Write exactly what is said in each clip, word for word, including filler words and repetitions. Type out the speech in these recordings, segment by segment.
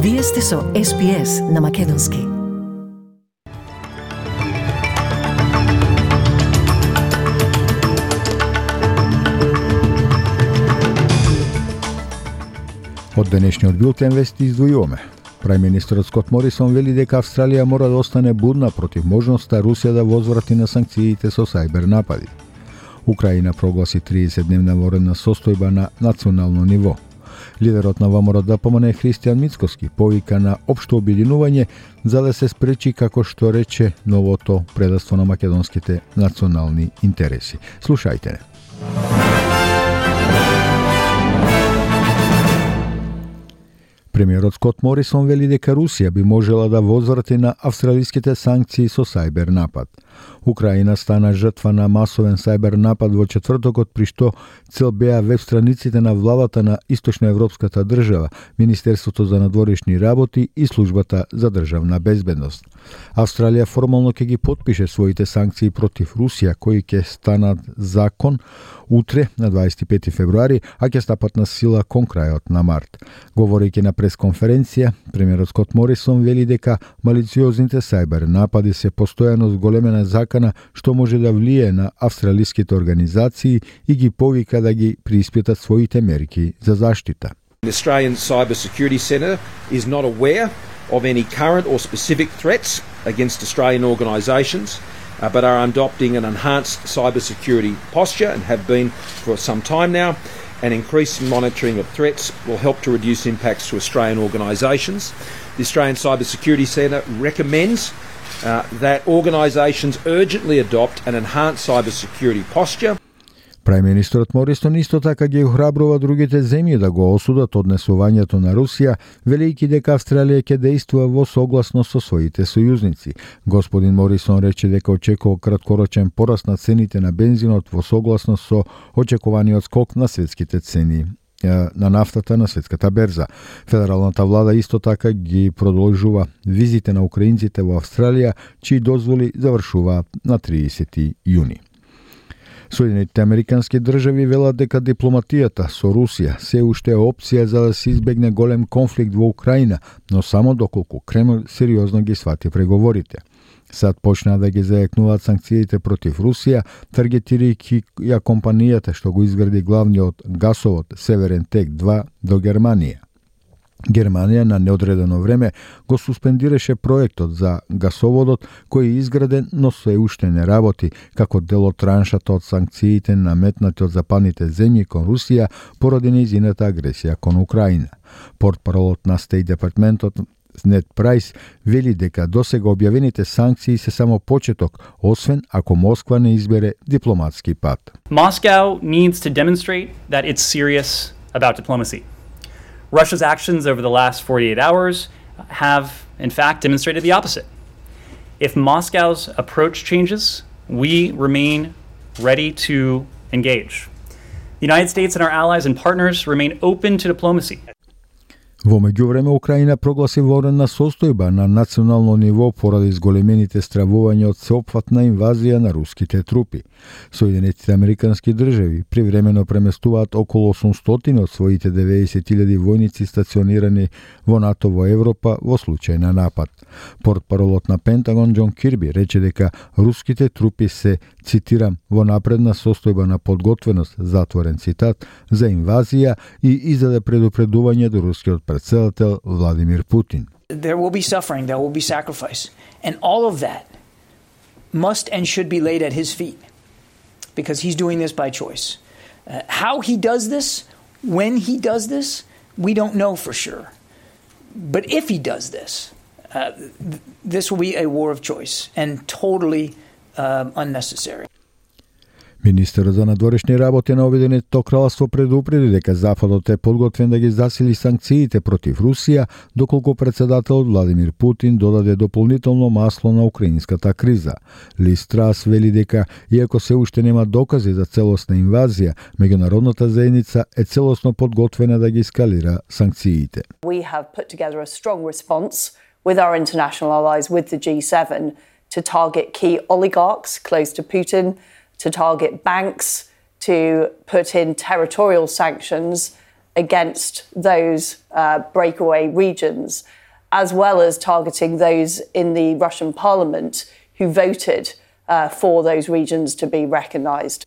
Вие сте со Ес Би Ес на Македонски. Од денешниот билтен вести издвојуваме. Прајм-министерот Скот Морисон вели дека Австралија мора да остане будна против можноста Русија да возврати на санкциите со сајбер напади. Украина прогласи тридесетдневна военна состојба на национално ниво. Лидерот на ВМРО ДПМН Христијан Мицкоски повика на општо обединување за да се спречи, како што рече, новото предавство на македонските национални интереси. Слушајте. Премиерот Скот Морисон вели дека Русија би можела да возврати на австралиските санкции со сајбер напад. Украина стана жртва на масовен сајбер напад во четвртокот, при што цел беа веб страниците на владата на Источноевропската држава, Министерството за надворешни работи и Службата за државна безбедност. Австралија формално ќе ги потпише своите санкции против Русија, кои ќе станат закон утре на дваесет и пети февруари, а ќе стапат на сила кон крајот на март. Говорејќи на пресконференција, премиерот Скот Морисон вели дека малициозните сајбер напади се постојано зголемена закана што може да влие на австралиските организации и ги повика да ги преиспитат своите мерки за заштита. The Australian Cyber Security Centre is not aware of any current or specific threats against Australian organisations, uh, but are adopting an enhanced cyber security posture and have been for some time now. And increased monitoring of threats will help to reduce impacts to Australian organisations. The Australian Cyber Security Centre recommends uh, that organisations urgently adopt an enhanced cyber security posture. Прајм-министерот Морисон исто така ги охрабрува другите земји да го осудат однесувањето на Русија, велејќи дека Австралија ќе действува во согласност со своите сојузници. Господин Морисон рече дека очекува краткорочен пораст на цените на бензинот во согласност со очекуваниот скок на светските цени на нафтата на светската берза. Федералната влада исто така ги продолжува визите на украинците во Австралија, чии дозволи завршуваат на тридесети јуни. Соединетите американски држави велат дека дипломатијата со Русија се уште е опција за да се избегне голем конфликт во Украина, но само доколку Кремљ сериозно ги свати преговорите. Сад почнаа да ги зајакнуваат санкциите против Русија, таргетирајќи ја компанијата што го изгради главниот гасовод Северен Тек два до Германија. Германија на неодредено време го суспендираше проектот за гасоводот кој е изграден, но се уште не работи, како дел од траншата од санкциите наметнати од западните земји кон Русија поради нејзината агресија кон Украина. Портпаролот на Стејт департментот Нед Прайс вели дека досега објавените санкции се само почеток, освен ако Москва не избере дипломатски пат. Moscow needs to demonstrate that it's serious about diplomacy. Russia's actions over the last forty-eight hours have, in fact, demonstrated the opposite. If Moscow's approach changes, we remain ready to engage. The United States and our allies and partners remain open to diplomacy. Во меѓувреме, Украина прогласи военна состојба на национално ниво поради зголемените стравувања од сеопфатна инвазија на руските трупи. Соединетите американски држави привремено преместуваат околу осумстотини од своите деветдесет илјади војници стационирани во НАТО во Европа во случај на напад. Портпаролот на Пентагон Џон Кирби рече дека руските трупи се, цитирам, во напредна состојба на подготвеност, затворен цитат, за инвазија и издаде предупредување до рускиот председател Владимир Путин. There will be suffering, there will be sacrifice, and all of that must and should be laid at his feet because he's doing this by choice. Uh, how he does this, when he does this, we don't know for sure. But if he does this, uh, th- this will be a war of choice and totally uh, unnecessary. Министерот за надворешни работи на Обединетото кралство предупреди дека Западот е подготвен да ги засили санкциите против Русија, доколку председателот Владимир Путин додаде дополнително масло на украинската криза. Лиз Трас вели дека, иако се уште нема докази за целосна инвазија, меѓународната заедница е целосно подготвена да ги ескалира санкциите. We have put together a strong response with our international allies, with the G seven, to target key oligarchs close to Putin, to target banks, to put in territorial sanctions against those uh, breakaway regions, as well as targeting those in the Russian parliament who voted uh, for those regions to be recognised.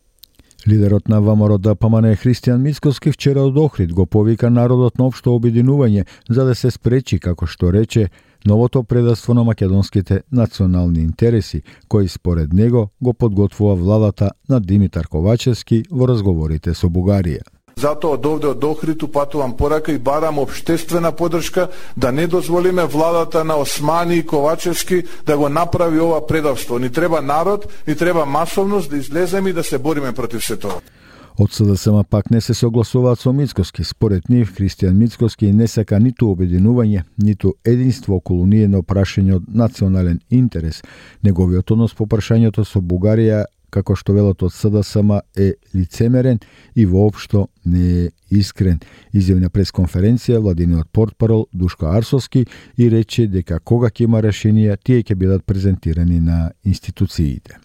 Лидерот на ВМРО Д П М Н Христијан Мицкоски вчера од Охрид го повика народот на општо обединување за да се спречи, како што рече, новото предавство на македонските национални интереси, кои според него го подготвува владата на Димитар Ковачевски во разговорите со Бугарија. Затоа од овде од Охрид упатувам порака и барам општествена поддршка да не дозволиме владата на Османи и Ковачевски да го направи ова предавство. Ни треба народ, ни треба масовност да излеземе и да се бориме против се тоа. Од С Д С М пак не се согласуваат со Мицкоски. Според нив, Христијан Мицкоски не сака ниту обединување, ниту единство околу ниедно прашање од национален интерес. Неговиот однос по прашањето со Бугарија, како што велат од С Д С М, е лицемерен и воопшто не е искрен. Изјави на пресконференција владиниот портпарол Душко Арсовски и рече дека кога ќе има решенија, тие ќе бидат презентирани на институциите.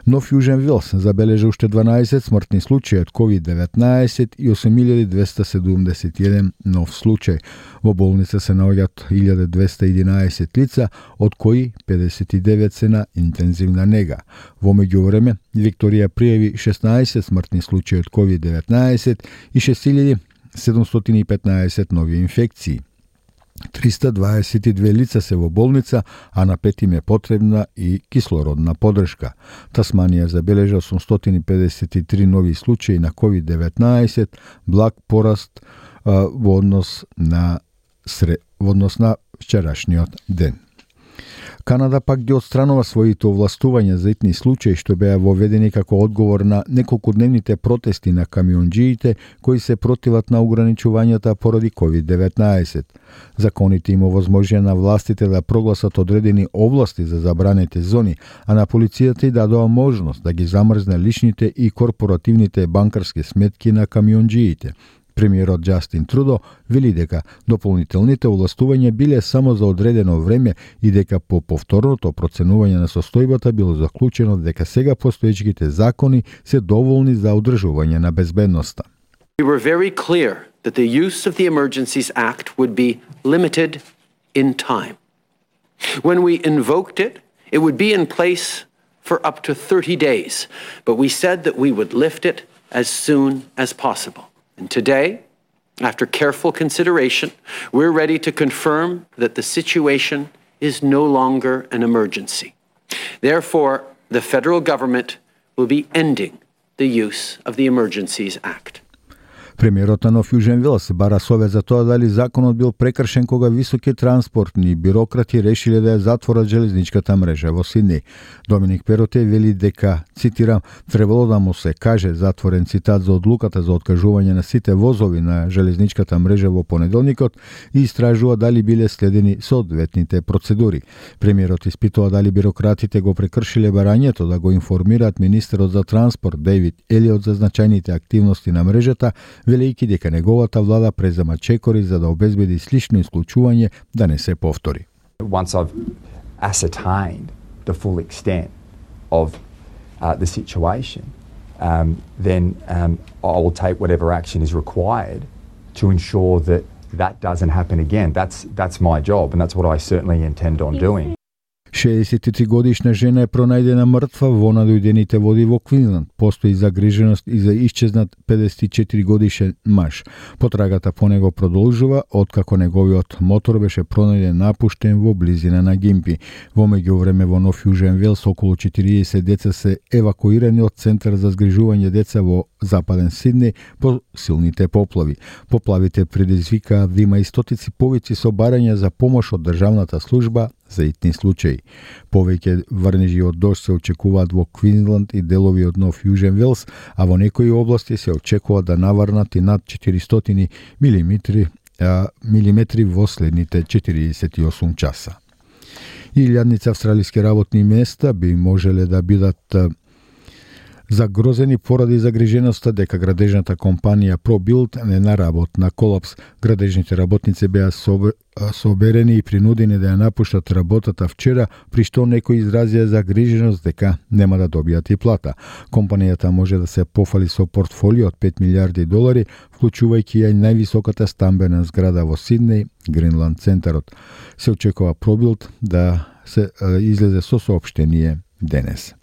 Нов Јужен Велс забележа уште дванаесет смртни случаи од ковид деветнаесет и осум илјади двеста седумдесет и еден нов случај. Во болница се наоѓаат илјада двеста и единаесет лица, од кои педесет и девет се на интензивна нега. Во меѓувреме, Викторија пријави шеснаесет смртни случаи од ковид деветнаесет и шест илјади седумстотини и петнаесет нови инфекции. триста дваесет и две лица се во болница, а на пет им е потребна и кислородна поддршка. Тасманија забележа осумстотини педесет и три нови случаи на ковид деветнаесет, благ пораст а, во однос на сре, во однос на вчерашниот ден. Канада пак ги отстранува своите овластувања за итни случаи што беа воведени како одговор на неколкудневните протести на камионџиите кои се противат на ограничувањата поради ковид деветнаесет. Законите им овозможија на властите да прогласат одредени области за забранети зони, а на полицијата и дадоа можност да ги замрзне личните и корпоративните банкарски сметки на камионџиите. Премиерот Џастин Трудо вели дека дополнителните овластувања биле само за одредено време и дека по повторното проценување на состојбата било заклучено дека сега постоечките закони се доволни за одржување на безбедноста. We were very clear that the use of the Emergencies Act would be limited in time. When we invoked it, it would be in place for up to thirty days, but we said that we would lift it as soon as possible. And today, after careful consideration, we're ready to confirm that the situation is no longer an emergency. Therefore, the federal government will be ending the use of the Emergencies Act. Премиерот на Нов Јужен Велс бара совет за тоа дали законот бил прекршен кога високи транспортни бирократи решиле да ја затворат железничката мрежа во Сиднеј. Доминик Пероте вели дека, цитирам, требало да му се каже, затворен цитат, за одлуката за откажување на сите возови на железничката мрежа во понеделникот и истражува дали биле следени соодветните процедури. Премиерот испитува дали бирократите го прекршиле барањето да го информираат министерот за транспорт Дейвид Елиот за значајните активности на мрежата, велејќи дека неговата влада презема чекори за да обезбеди слично исклучување да не се повтори. Once I've ascertained the full extent of uh, the situation, um, then um, I will take whatever action is required to ensure that that doesn't happen again. That's that's my job, and that's what I certainly intend on doing. шеесет и три годишна жена е пронајдена мртва во надојдените води во Квинсленд. Постои загриженост и за исчезнат педесет и четири годишен маж. Потрагата по него продолжува откако неговиот мотор беше пронајден напуштен во близина на Гимпи. Во меѓувреме во Нов Јужен Велс околу четириесет деца се евакуирани од центар за згрижување деца во западен Сиднеј по силните поплави. Поплавите предизвикаа да има и стотици повици со барања за помош од државната служба за итни случаи. Повеќе врнежи од дожд се очекуваат во Квинсленд и делови од Нов Јужен Велс, а во некои области се очекува да наврнат и над четиристотини милиметри, а, милиметри во следните четириесет и осум часа. Илјадница австралиски работни места би можеле да бидат загрозени поради загриженоста дека градежната компанија ProBuild не наработ на колапс. Градежните работници беа соберени и принудени да ја напуштат работата вчера, при што некои изразија загриженост дека нема да добијат и плата. Компанијата може да се пофали со портфолио од пет милиарди долари, вклучувајќи ја највисоката стамбена зграда во Сиднеј, Гринланд центарот. Се очекува ProBuild да се излезе со соопштение денес.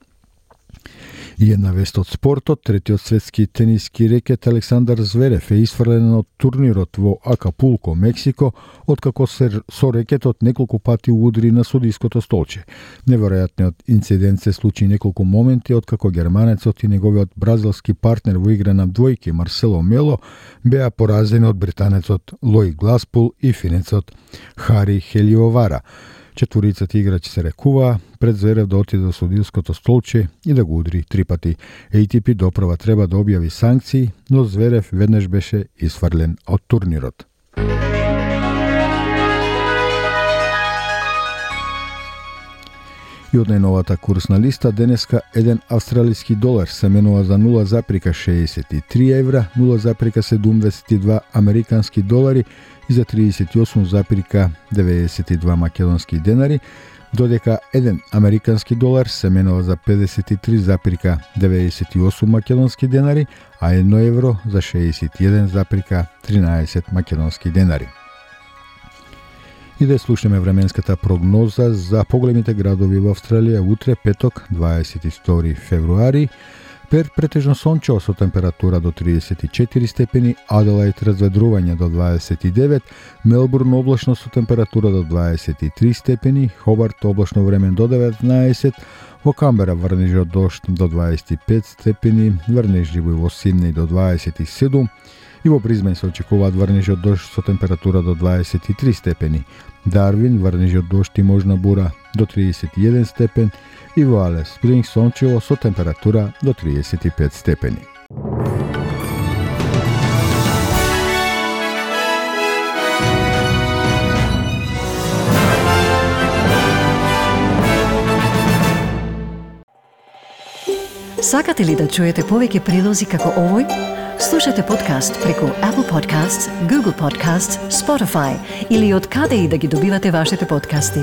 И една вест од спортот, третиот светски тениски рекет Александар Зверев е исфрлен од турнирот во Акапулко, Мексико, откако се со рекетот неколку пати удри на судиското столче. Неверојатниот инцидент се случи неколку моменти откако германецот и неговиот бразилски партнер во игра на двојки Марсело Мело беа поразени од британецот Лои Гласпул и финецот Хари Хелиовара. Четворицата играчи се рекуваа пред Зверев да отиде до судиското столче и да го удри три пати. Ей Ти Пи доправа треба да објави санкции, но Зверев веднаш беше исфрлен од турнирот. И од најновата курсна листа, денеска еден австралиски долар се менува за нула запирка шеесет и три евра, нула запирка седумдесет и два американски долари и за тридесет и осум запирка деветдесет и два македонски денари, додека еден американски долар се менува за педесет и три запирка деветдесет и осум македонски денари, а едно евро за шеесет и еден запирка тринаесет македонски денари. И да слушаме временската прогноза за поголемите градови во Австралија утре, петок, дваесет и втори февруари. Перт претежно сончево со температура до тридесет и четири степени, Аделаид разведрување до дваесет и девет, Мелбурн облачно со температура до дваесет и три степени, Хобарт облачно време до деветнаесет, во Камбера врнежи од дожд до дваесет и пет степени, врнежливо и во Сиднеј до дваесет и седум, и во Бризбен се очекуваат врнежи од дожд со температура до дваесет и три степени. Дарвин врнежи од дожд и можна бура до тридесет и еден степен и во Алес Спрингс сончево со температура до тридесет и пет степени. Сакате ли да чуете повеќе прилози како овој? Слушате подкаст преку Apple Podcasts, Google Podcasts, Spotify или од каде и да ги добивате вашите подкасти.